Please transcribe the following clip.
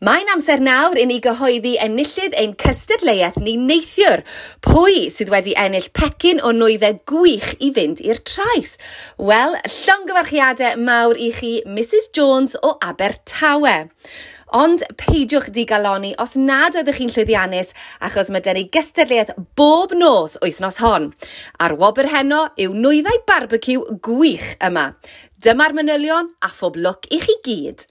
Mae'n amser nawr i ni gyhoeddi enillydd ein cystadleuaeth ni neithiwr. Pwy sydd wedi ennill pecyn o nwyddau gwych i fynd i'r traeth? Wel, llongyfarchiadau mawr i chi, Mrs Jones o Abertawe. Ond peidiwch digaloni os nad oeddech chi'n llwyddiannus, achos mae 'da ni gystadleuaeth bob nos wythnos hon. A'r wobr heno yw nwyddau barbeciw gwych yma. Dyma'r manylion a phob lwc i chi gyd.